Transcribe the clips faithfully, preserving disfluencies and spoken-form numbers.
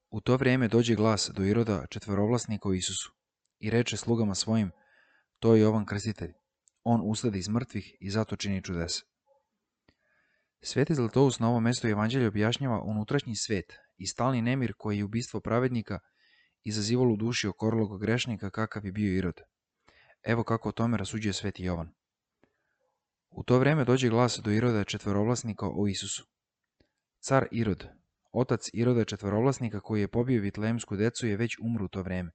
U to vrijeme dođe glas do Iroda četvorovlasnika o Isusu i reče slugama svojim, to je Jovan Krstitelj. On ustade iz mrtvih i zato čini čudesa. Sveti Zlatoust na ovom mjestu evanđelja objašnjava unutrašnji svet i stalni nemir koji je ubistvo pravednika izazivalo u duši okorlog grešnika kakav je bio Irod. Evo kako o tome rasuđuje sveti Jovan. U to vrijeme dođe glas do Iroda četvorovlasnika o Isusu. Car Irod, otac Iroda četvorovlasnika koji je pobio vitlejemsku decu, je već umro u to vrijeme.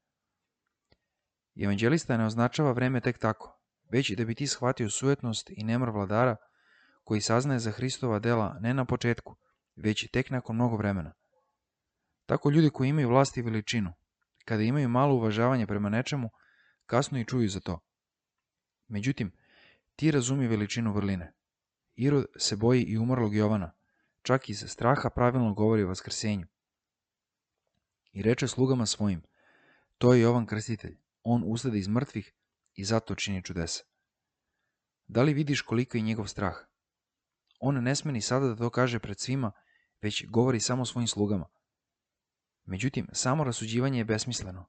Evanđelista ne označava vreme tek tako, već i da bi ti shvatio sujetnost i nemar vladara koji saznaje za Hristova dela ne na početku, već tek nakon mnogo vremena. Tako ljudi koji imaju vlast i veličinu, kada imaju malo uvažavanje prema nečemu, kasno i čuju za to. Međutim, ti razumiju veličinu vrline. Irod se boji i umrlog Jovana, čak iz straha pravilno govori o vaskrsenju. I reče slugama svojim, to je Jovan Krstitelj, on ustade iz mrtvih i zato čini čudesa. Da li vidiš koliko je njegov strah? On ne sme ni sada da to kaže pred svima, već govori samo svojim slugama. Međutim, samo rasuđivanje je besmisleno.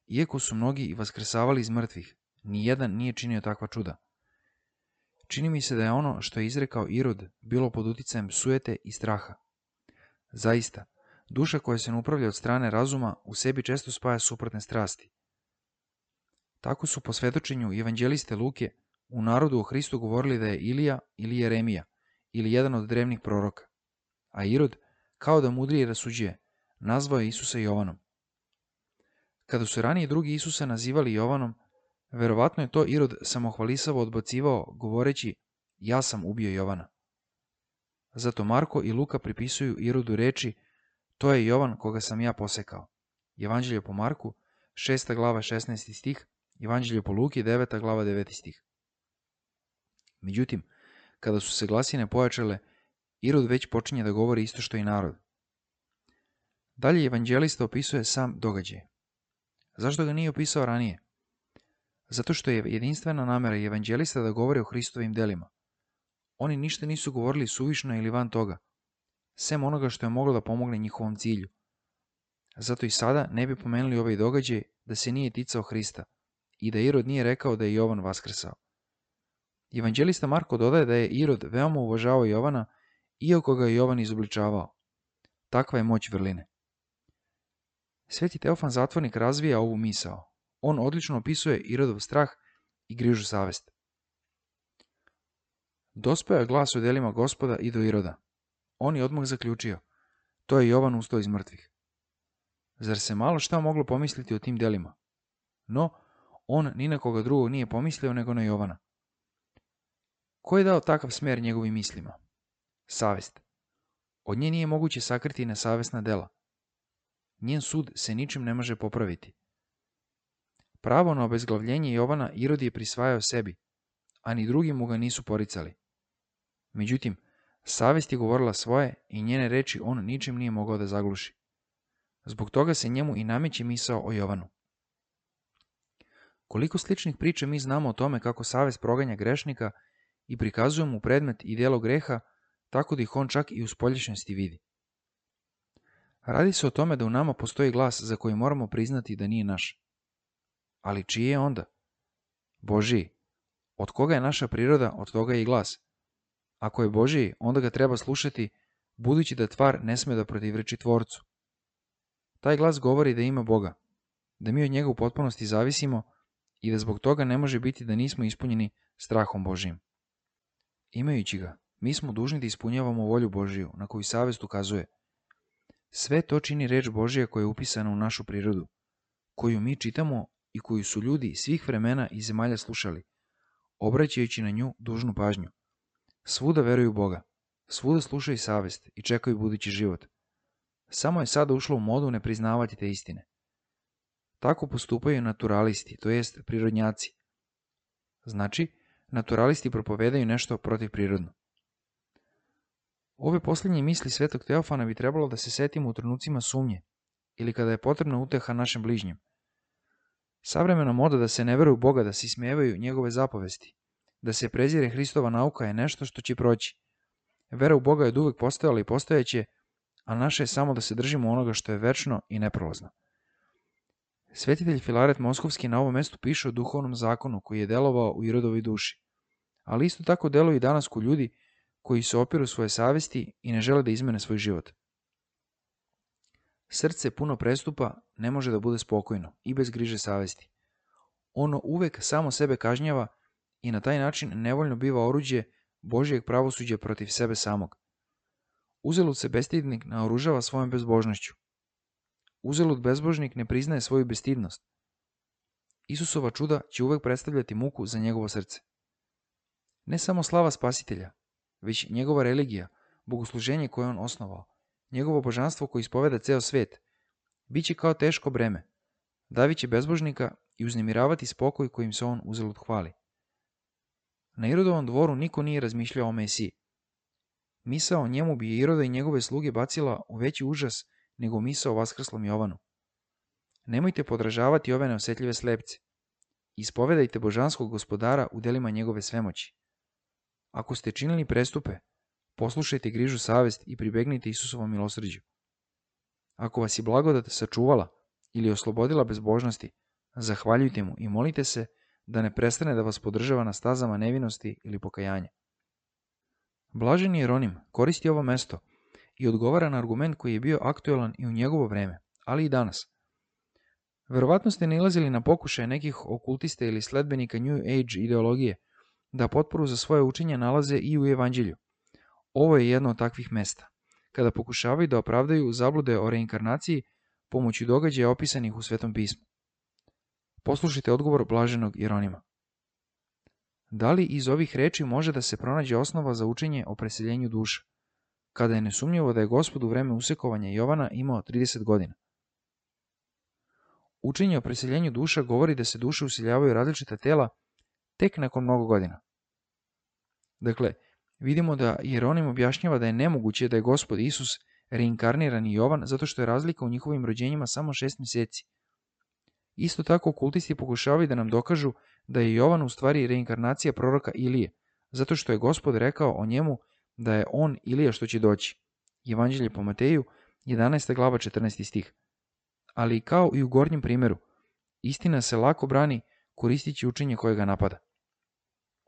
Iako su mnogi i vaskrsavali iz mrtvih, ni jedan nije činio takva čuda. Čini mi se da je ono što je izrekao Irod bilo pod uticajem sujete i straha. Zaista, duša koja se ne upravlja od strane razuma u sebi često spaja suprotne strasti. Tako su po svedočenju evanđeliste Luke u narodu o Hristu govorili da je Ilija ili Jeremija ili jedan od drevnih proroka, a Irod, kao da mudrije rasuđuje, nazvao je Isusa Jovanom. Kada su ranije drugi Isusa nazivali Jovanom, verovatno je to Irod samohvalisavo odbacivao govoreći ja sam ubio Jovana. Zato Marko i Luka pripisuju Irodu reči to je Jovan koga sam ja posekao. Evanđelje po Marku, šesta glava šesnaesti stih, Evanđelje po Luki, deveta glava deveti stih. Međutim, kada su se glasine pojačale, Irod već počinje da govori isto što i narod. Dalje evanđelista opisuje sam događaj. Zašto ga nije opisao ranije? Zato što je jedinstvena namera evanđelista da govore o Hristovim delima. Oni ništa nisu govorili suvišno ili van toga, sem onoga što je moglo da pomogne njihovom cilju. Zato i sada ne bi pomenuli ovaj događaj da se nije ticao Hrista i da Irod nije rekao da je Jovan vaskrsao. Evanđelista Marko dodaje da je Irod veoma uvažavao Jovana, iako ga je Jovan izobličavao. Takva je moć vrline. Sveti Teofan Zatvornik razvija ovu misao. On odlično opisuje Irodov strah i grižu savest. Dospeo je glas o delima Gospoda i do Iroda. On je odmah zaključio, to je Jovan ustao iz mrtvih. Zar se malo šta moglo pomisliti o tim delima? No, on ni na koga drugog nije pomislio nego na Jovana. Ko je dao takav smer njegovim mislima? Savest. Od nje nije moguće sakriti nesavesna dela. Njen sud se ničim ne može popraviti. Pravo na obezglavljenje Jovana Irod je prisvajao sebi, a ni drugi mu ga nisu poricali. Međutim, savest je govorila svoje i njene reči on ničim nije mogao da zagluši. Zbog toga se njemu i nameće misao o Jovanu. Koliko sličnih priča mi znamo o tome kako savest proganja grešnika i prikazuje mu predmet i djelo greha, tako da ih on čak i u spoljašnjosti vidi. Radi se o tome da u nama postoji glas za koji moramo priznati da nije naš. Ali čiji je onda? Božiji. Od koga je naša priroda, od toga je i glas. Ako je Božiji, onda ga treba slušati, budući da tvar ne sme da protivreči tvorcu. Taj glas govori da ima Boga, da mi od njega u potpunosti zavisimo i da zbog toga ne može biti da nismo ispunjeni strahom Božijim. Imajući ga, mi smo dužni da ispunjavamo volju Božiju, na koju savest ukazuje. Sve to čini reč Božija koja je upisana u našu prirodu, koju mi čitamo i koju su ljudi svih vremena i zemalja slušali, obraćajući na nju dužnu pažnju. Svuda veruju u Boga, svuda slušaju savest i čekaju budući život. Samo je sada ušlo u modu ne priznavati te istine. Tako postupaju naturalisti, to jest prirodnjaci. Znači, naturalisti propovedaju nešto protivprirodno. Ove posljednje misli svetog Teofana bi trebalo da se setimo u trenucima sumnje ili kada je potrebna uteha našem bližnjem. Savremena moda da se ne veruje u Boga, da se ismevaju njegove zapovesti, da se prezire Hristova nauka je nešto što će proći. Vera u Boga je od uvek postojala i postojeće, a naše je samo da se držimo onoga što je večno i neprolazno. Svetitelj Filaret Moskovski na ovom mestu piše o duhovnom zakonu koji je delovao u Irodovoj duši, ali isto tako deluje i danas kod ljudi koji se opiru svoje savesti i ne žele da izmene svoj život. Srce puno prestupa ne može da bude spokojno i bez griže savesti. Ono uvek samo sebe kažnjava i na taj način nevoljno biva oruđe Božijeg pravosuđa protiv sebe samog. Uzalud se bestidnik naoružava svojom bezbožnošću. Uzalud bezbožnik ne priznaje svoju bestidnost. Isusova čuda će uvek predstavljati muku za njegovo srce. Ne samo slava Spasitelja, već njegova religija, bogosluženje koje on osnovao, njegovo božanstvo koje ispoveda ceo svet, bit će kao teško breme, davit će bezbožnika i uznemiravati spokoj kojim se on uzalud hvali. Na Irodovom dvoru niko nije razmišljao o Mesiji. Misao o njemu bi Iroda i njegove sluge bacila u veći užas nego misao o vaskrslom Jovanu. Nemojte podražavati ove neosetljive slepce. Ispovedajte božanskog gospodara u delima njegove svemoći. Ako ste činili prestupe, poslušajte grižu savest i pribegnite Isusovom milosrđu. Ako vas je blagodat sačuvala ili oslobodila bezbožnosti, zahvaljujte mu i molite se da ne prestane da vas podržava na stazama nevinosti ili pokajanja. Blaženi Jeronim koristi ovo mesto i odgovara na argument koji je bio aktuelan i u njegovo vreme, ali i danas. Verovatno ste nailazili na pokušaje nekih okultista ili sledbenika New Age ideologije da potporu za svoje učenje nalaze i u Evanđelju. Ovo je jedno od takvih mesta, kada pokušavaju da opravdaju zablude o reinkarnaciji pomoću događaja opisanih u Svetom pismu. Poslušajte odgovor blaženog Jeronima. Da li iz ovih reči može da se pronađe osnova za učenje o preseljenju duša, kada je nesumnjivo da je Gospod u vreme usekovanja Jovana imao trideset godina? Učenje o preseljenju duša govori da se duše useljavaju različita tela tek nakon mnogo godina. Dakle, vidimo da Jeronim objašnjava da je nemoguće da je Gospod Isus reinkarnirani Jovan zato što je razlika u njihovim rođenjima samo šest mjeseci. Isto tako okultisti pokušavaju da nam dokažu da je Jovan u stvari reinkarnacija proroka Ilije, zato što je Gospod rekao o njemu da je on Ilija što će doći. Evanđelje po Mateju, jedanaesta glava, četrnaesti stih. Ali kao i u gornjem primjeru, istina se lako brani koristići učenje koje ga napada.